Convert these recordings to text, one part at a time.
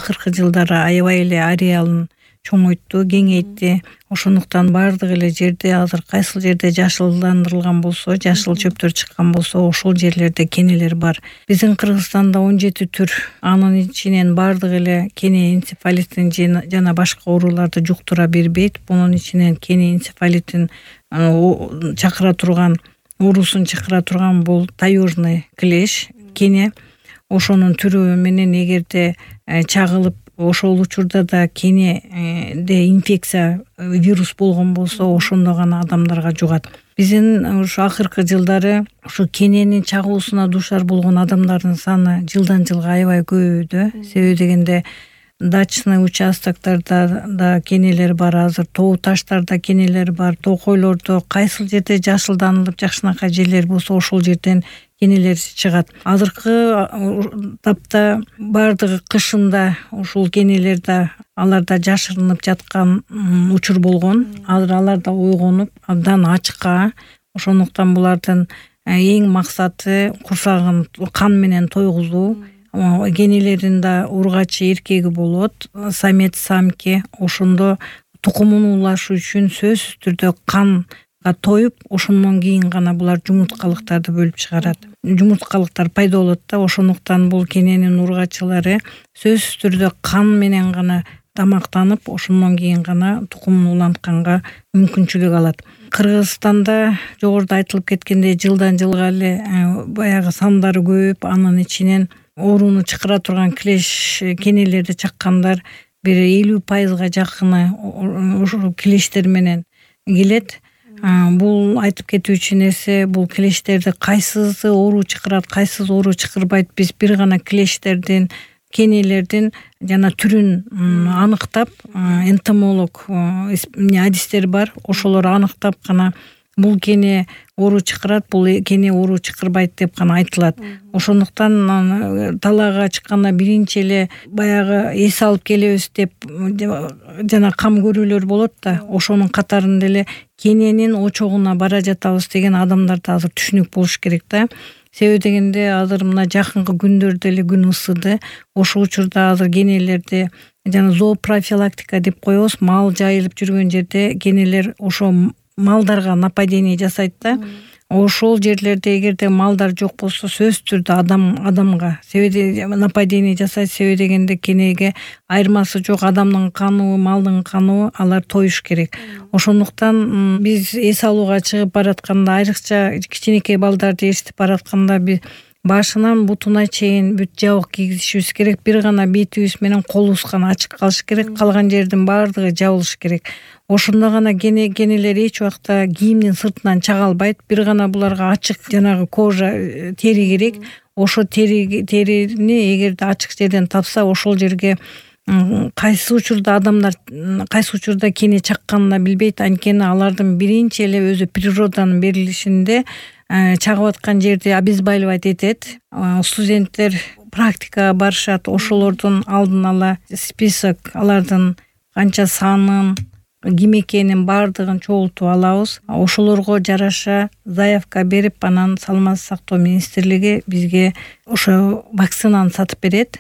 акыркы жылдары аябай эле ареалын чоңойтту, кеңейтти. Ошондуктан бардык эле жерде азыр кайсыл жерде жашылдандырылган болсо, жашыл чөптөр чыккан болсо, ошол жерлерде кенелер бар. Биздин Кыргызстанда 17 түр, анын ичинен бардык эле кене энцефалитин жана башка ооруларды жуктура бербейт. Бунун ичинен кене энцефалитин чакыра турган, оорусун чакыра турган бул таежный клещ кене. Ошонун түрү менен эгерде чагылып, ошол учурда да кенеде инфекция вирус болгон болсо, ошондо гана адамдарга жугат. Биздин ушу акыркы жылдары ушу кененин чагуусуна дуушар болгон адамдардын саны жылдан жылга аябай көбөйдү. Себеби дегенде дачный участоктарда да кенелер бар, азыр тоо таштарда кенелер бар, токойлордо кайсыл жерде жашылданылып жакшынакай жерлер болсо ошол жерден кенелер чыгат. Азыркы тапта бардыгы кышында ушул кенелерде аларда жашырынып жаткан учур болгон. Азыр алар да ойгонуп, абдан ачыкка. Ошондуктан булардын эң максаты курсагын кан менен тойгузуу. Кенелеринде ургачы эркеги болот, самец самке. Ошондо тукумун улашы үчүн сөзсүз түрдө канга тоюп, ошондон кийин гана булар жумурткалыктарды бөлүп чыгарат. Жумурткалыктар пайда болот да, ошондуктан бул кененин ургачылары сөзсүз түрдө кан менен гана тамактанып, ошондон кийин гана тукумун улантканга мүмкүнчүлүк алат. Кыргызстанда жогоруда айтылып кеткендей жылдан жылга эле баягы сандары көбөйүп, анын ичинен ооруну чакыра турган клещ кенелерди чаккандар бир 50% жакыны ошол клещтер менен келет. Бул айтып кетүүчү нерсе, бул клещтерди кайсысы оору чакырат, кайсысы оору чакырбайт, биз бир гана клещтердин, кенелердин жана түрүн аныктап, энтомолог адистер бар, ошолор аныктап гана бул кене оору чакырат, бул кене оору чакырбайт деп гана айтылат. Ошондуктан талаага чыкканда биринчи эле баягы эс алып келебиз деп жана кам көрүүлөр болот да, ошонун катарында эле кененин очогуна бара жатабыз деген адамдарда азыр түшүнүк болуш керек да. Себеби дегенде азыр мына жакынкы күндөрдө эле күн ысыды. Ошол учурда азыр кенелерди жана зоопрофилактика деп коебуз, мал жайылып жүргөн жерде кенелер ошо малдарга нападение жасайт да. Ошол жерлерде эгерде малдар жок болсо, сөзсүз түрдө адамга себеби нападение жасайт. Себеби дегенде кенеге айырмасы жок, адамдын каныбы, малдын каныбы, алар тоюш керек. Ошондуктан биз эс алууга чыгып баратканда, айрыкча кичинекей балдарды ээрчитип баратканда биз башынан бутуна чейин бүт жабык кийгизишибиз керек. Бир гана бетибиз менен колубуз гана ачык калыш керек, калган жердин баардыгы жабылыш керек. Ошондо гана кенелер эч убакта кийимдин сыртынан чыга албайт. Бир гана буларга ачык жанагы кожа, тери керек. Ошо терини эгерде ачык жерден тапса, ошол жерге кайсы учурда кене чакканын билбейт. Анткени алардын биринчи эле өзү природанын берилишинде чагып аткан жерди обезболивать этет. Студенттер практикага барышат, ошолордун алдын ала список, алардын канча санын, ким экенин баардыгын чогултуп алабыз. Ошолорго жараша заявка берип, анан Саламаттык сактоо министрлиги бизге ошо вакцинаны сатып берет.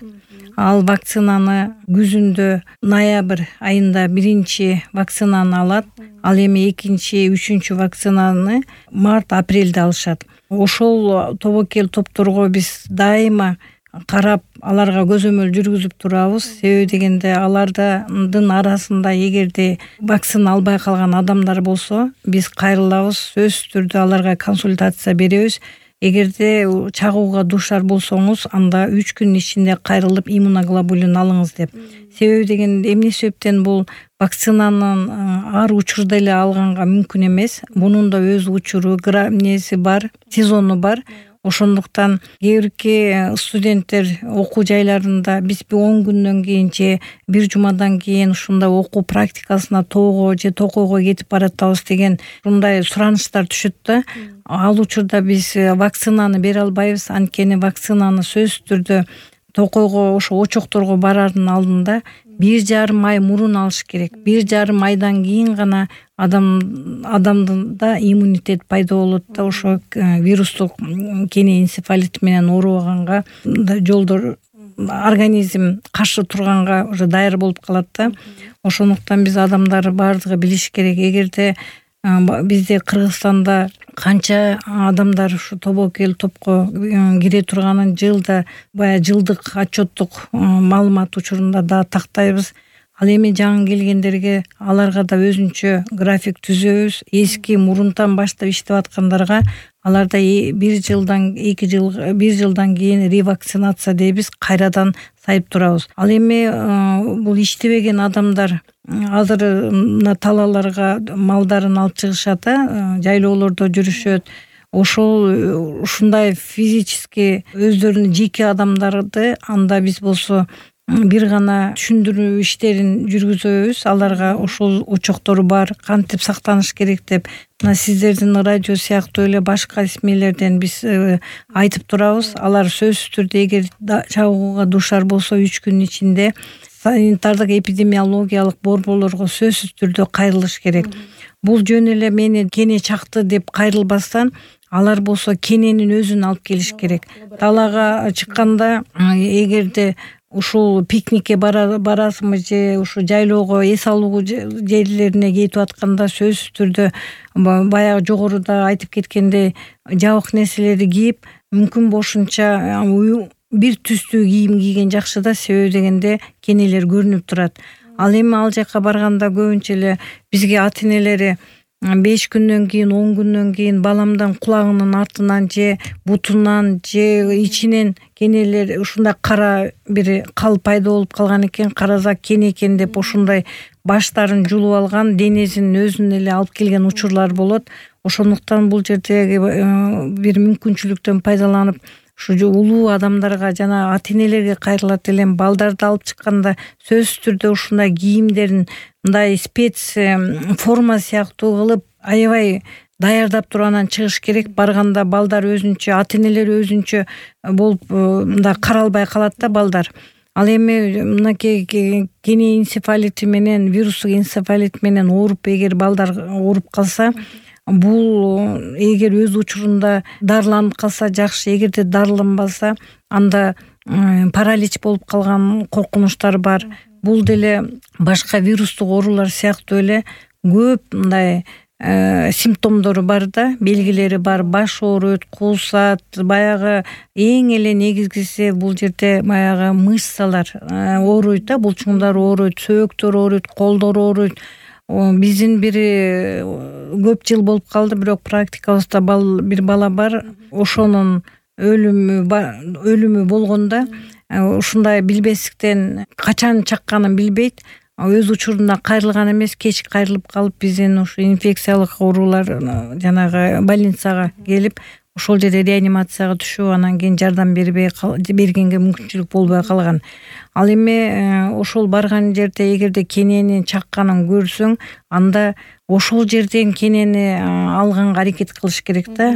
Ал вакцинаны күзүндө ноябрь айында биринчи вакцинаны алат. Ал эми экинчи, үчүнчү вакцинаны март-апрелде алышат. Ошол тобокел топторго биз дайыма карап, аларга көзөмөл жүргүзүп турабыз. Себеби дегенде алардын арасында эгерде вакцина албай калган адамдар болсо, биз кайрылабыз, сөзсүз түрдө аларга консультация беребиз. Эгерде чагууга дуушар болсоңуз, анда 3 күн ичинде кайрылып иммуноглобулин алыңыз деп. Себеби дегенде эмне себептен бул вакцинанын ар учурда эле алганга мүмкүн эмес. Бунун да өз учуру, грамнеси бар, сезону бар. Ошондуктан кээ студенттер окуу жайларында биз 10 күндөн кийин же бир жумадан кийин ушундай окуу практикасына тоого же токойго кетип баратабыз деген ушундай суранычтар түшөт да. Ал учурда биз вакцинаны бере албайбыз. Анткени вакцинаны сөзсүз түрдө токойго, ошо очокторго барардын алдында 1,5 ай мурун алыш керек. 1,5 айдан кийин гана адамда иммунитет пайда болот да, ошо вирустук кене энцефалит менен оорубаганга жолдор организм каршы турганга уже даяр болуп калат да. Ошондуктан биз адамдар баардыгы билиш керек. Эгерде бизде Кыргызстанда канча адамдар ушу тобокел топко кире турганын жылда баягы жылдык отчеттук маалымат учурунда да тактайбыз. Ал эми жаңы келгендерге аларга да өзүнчө график түзөбүз. Эски мурунтан баштап иштеп аткандарга аларда 1 жылдан кийин ревакцинация дейбиз, кайрадан сайып турабыз. Ал эми бул иштебеген адамдар азыр мына талааларга малдарын алып чыгышат, жайлоолордо жүрүшөт. Ушундай физически өздөрүнүн жеке адамдарды анда биз болсо бир гана түшүндүрүү иштерин жүргүзөбүз. Аларга ошол очоктору бар, кантип сактаныш керек деп. Мына сиздердин радио сыяктуу эле башка СМИлерден биз айтып турабыз. Алар сөзсүз түрдө эгер чагууга дуушар болсо 3 күн ичинде санитардык эпидемиологиялык борборлорго сөзсүз түрдө кайрылыш керек. Бул жөн эле мени кене чакты деп кайрылбастан алар болсо кененин өзүн алып келиш керек. Талаага чыкканда эгерде ушул пикникке барасыңбы же ушу жайлоого эс алуу жерлерине кетип атканда сөзсүз түрдө баягы жогоруда айтып кеткендей жабык нерселерди кийип, мүмкүн бошунча бир түстүү кийим кийген жакшы да, себеби дегенде кенелер көрүнүп турат. Ал эми ал жака барганда көбүнчө эле бизге ата энелери 5 күндөн кийин 10 күндөн кийин баламдын кулагынын артынан же бутунан же ичинен кенелер ушундай кара бир кал пайда болуп калган экен, карасак кене экен деп ошондой баштарын жулуп алган, денесин өзүн эле алып келген учурлар болот. Ошондуктан бул жердеги бир мүмкүнчүлүктөн пайдаланып ушу улуу адамдарга жана ата энелерге кайрылат элем. Балдарды алып чыкканда сөзсүз түрдө ушундай кийимдерин мындай спец форма сыяктуу кылып аябай даярдап туруп анан чыгыш керек. Барганда балдар өзүнчө, ата энелер өзүнчө болуп мындай каралбай калат да балдар. Ал эми мынакей кене энцефалити менен, вирустук энцефалит менен ооруп эгер балдар ооруп калса, бул эгер өз учурунда дарыланып калса жакшы, эгерде дарыланбаса анда паралич болуп калган коркунучтар бар. Бул деле башка вирустук оорулар сыяктуу эле көп мындай симптомдору бар да, белгилери бар. Баш ооруйт, куусат, баягы эң эле негизгиси бул жерде баягы мышцалар ооруйт да, булчуңдар ооруйт, сөөктөр ооруйт, колдор ооруйт. Биздин бир көп жыл болуп калды, бирок практикабызда бир бала бар, ошонун өлүмү болгондо ушундай билбестиктен качан чакканын билбейт. Өз учурунда кайрылган эмес, кеч кайрылып калып биздин ушу инфекциялык оорулар жанагы больницага келип, ошол жерде реанимацияга түшүп, анан кийин жардам бергенге мүмкүнчүлүк болбой калган. Ал эми ошол барган жерде эгерде кененин чакканын көрсөң, анда ошол жерден кенени алганга аракет кылыш керек да.